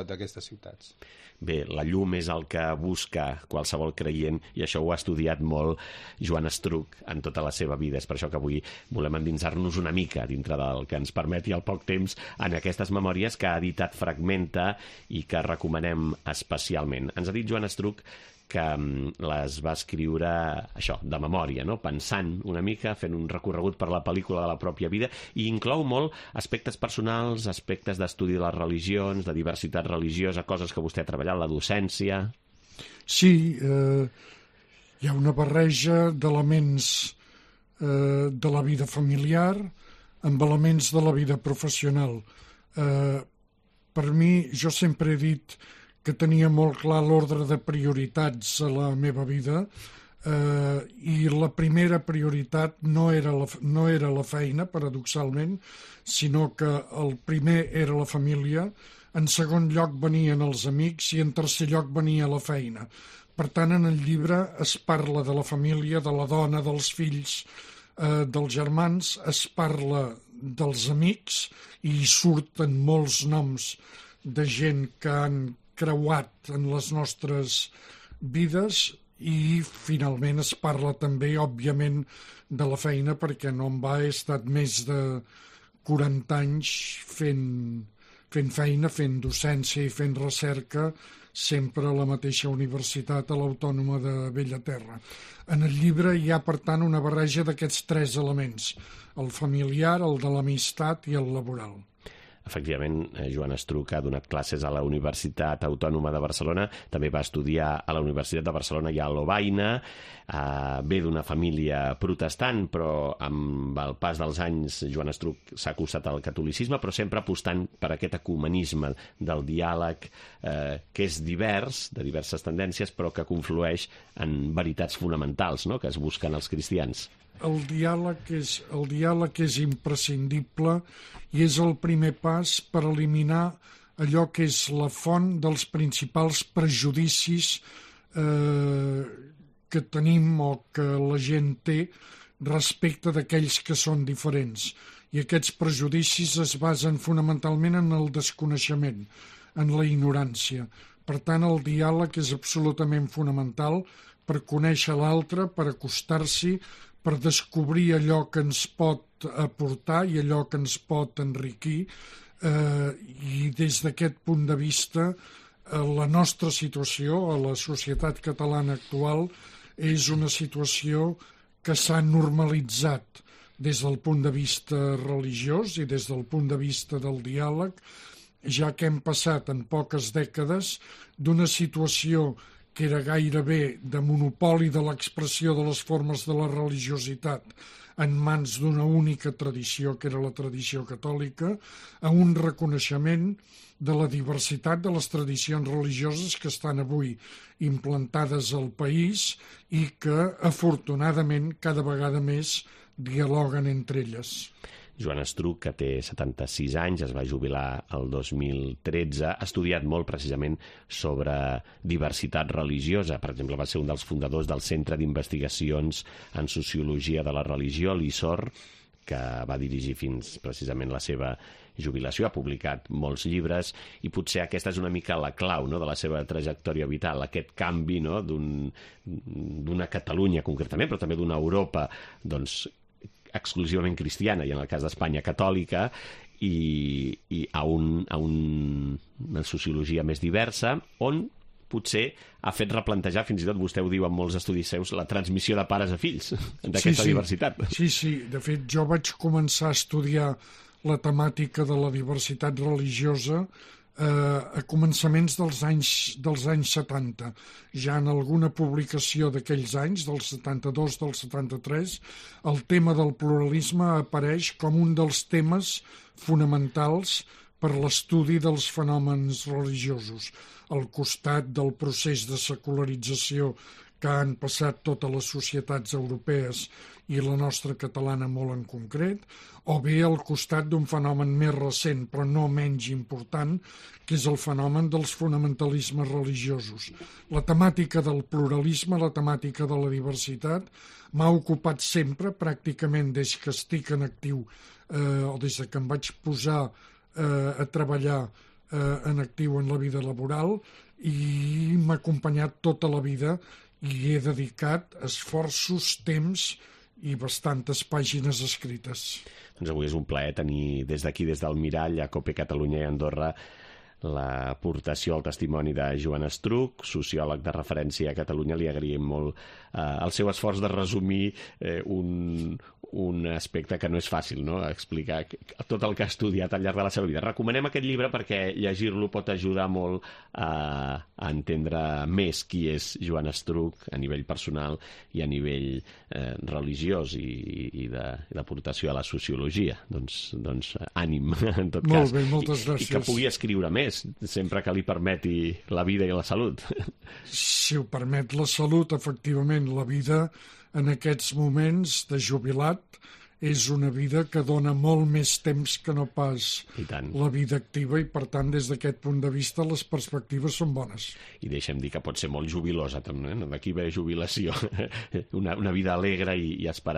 d'aquestes ciutats. Bé, la llum és el que busca qualsevol creient i això ho ha estudiat molt Joan Estruch en tota la seva vida. És per això que avui volem endinsar-nos una mica dintre del que ens permeti el poc temps en aquestes memòries que ha editat Fragmenta i que recomanem especialment. Ens ha dit Joan Estruch que les va escriure això, de memòria, no? Pensant una mica, fent un recorregut per la pel·lícula de la pròpia vida, i inclou molt aspectes personals, aspectes d'estudi de les religions, de diversitat religiosa, coses que vostè ha treballat, la docència... Sí, hi ha una barreja d'elements de la vida familiar amb elements de la vida professional. Per mi, jo sempre he dit que tenia molt clar l'ordre de prioritats a la meva vida i la primera prioritat no era la feina, paradoxalment, sinó que el primer era la família, en segon lloc venien els amics i en tercer lloc venia la feina. Per tant, en el llibre es parla de la família, de la dona, dels fills, dels germans, es parla dels amics i hi surten molts noms de gent que han creuat en les nostres vides i finalment es parla també, òbviament, de la feina perquè no em va he estat més de 40 anys fent feina, fent docència i fent recerca, sempre a la mateixa universitat, a l'Autònoma de Bellaterra. En el llibre hi ha, per tant, una barreja d'aquests tres elements, el familiar, el de l'amistat i el laboral. Efectivament, Joan Estruch ha donat classes a la Universitat Autònoma de Barcelona, també va estudiar a la Universitat de Barcelona i a Lovaina, ve d'una família protestant, però amb el pas dels anys Joan Estruch s'ha acostat al catolicisme, però sempre apostant per aquest ecumenisme del diàleg que és divers, de diverses tendències, però que conflueix en veritats fonamentals, no?, que es busquen els cristians. El diàleg és imprescindible i és el primer pas per eliminar allò que és la font dels principals prejudicis que tenim o que la gent té respecte d'aquells que són diferents. I aquests prejudicis es basen fonamentalment en el desconeixement, en la ignorància. Per tant, el diàleg és absolutament fonamental per conèixer l'altre, per acostar-s'hi, per descobrir allò que ens pot aportar i allò que ens pot enriquir i des d'aquest punt de vista la nostra situació a la societat catalana actual és una situació que s'ha normalitzat des del punt de vista religiós i des del punt de vista del diàleg, ja que hem passat en poques dècades d'una situació que era gairebé de monopoli de l'expressió de les formes de la religiositat en mans d'una única tradició, que era la tradició catòlica, a un reconeixement de la diversitat de les tradicions religioses que estan avui implantades al país i que, afortunadament, cada vegada més dialoguen entre elles. Joan Estruch, que té 76 anys, es va jubilar el 2013, ha estudiat molt precisament sobre diversitat religiosa. Per exemple, va ser un dels fundadors del Centre d'Investigacions en Sociologia de la Religió, l'ISOR, que va dirigir fins precisament la seva jubilació, ha publicat molts llibres i potser aquesta és una mica la clau, no?, de la seva trajectòria vital, aquest canvi, no?, d'una Catalunya concretament, però també d'una Europa, doncs, exclusivament cristiana i en el cas d'Espanya catòlica i a una sociologia més diversa on potser ha fet replantejar, fins i tot vostè ho diu en molts estudis seus, la transmissió de pares a fills d'aquesta diversitat. Sí, de fet jo vaig començar a estudiar la temàtica de la diversitat religiosa a començaments dels anys 70. Ja en alguna publicació d'aquells anys, del 72, del 73, el tema del pluralisme apareix com un dels temes fonamentals per l'estudi dels fenòmens religiosos, al costat del procés de secularització que han passat totes les societats europees i la nostra catalana molt en concret, o bé al costat d'un fenomen més recent, però no menys important, que és el fenomen dels fonamentalismes religiosos. La temàtica del pluralisme, la temàtica de la diversitat, m'ha ocupat sempre, pràcticament des que estic en actiu, o des que em vaig posar a treballar en actiu en la vida laboral i m'ha acompanyat tota la vida i he dedicat esforços, temps i bastantes pàgines escrites. Doncs avui és un plaer tenir des d'aquí, des del Mirall, a COPE Catalunya i Andorra, l'aportació al testimoni de Joan Estruch, sociòleg de referència a Catalunya. Li agraïm molt el seu esforç de resumir un aspecte que no és fàcil, no? Explicar tot el que ha estudiat al llarg de la seva vida. Recomanem aquest llibre perquè llegir-lo pot ajudar molt a entendre més qui és Joan Estruch a nivell personal i a nivell religiós i d'aportació a la sociologia. Doncs ànim, en tot cas. Molt bé, moltes gràcies. I que pugui escriure més, sempre que li permeti la vida i la salut. Si ho permet la salut, efectivament, la vida en aquests moments de jubilat és una vida que dona molt més temps que no pas la vida activa i, per tant, des d'aquest punt de vista, les perspectives són bones. I deixa'm dir que pot ser molt jubilosa, també, no? D'aquí ve jubilació. Una vida alegre i esperançada.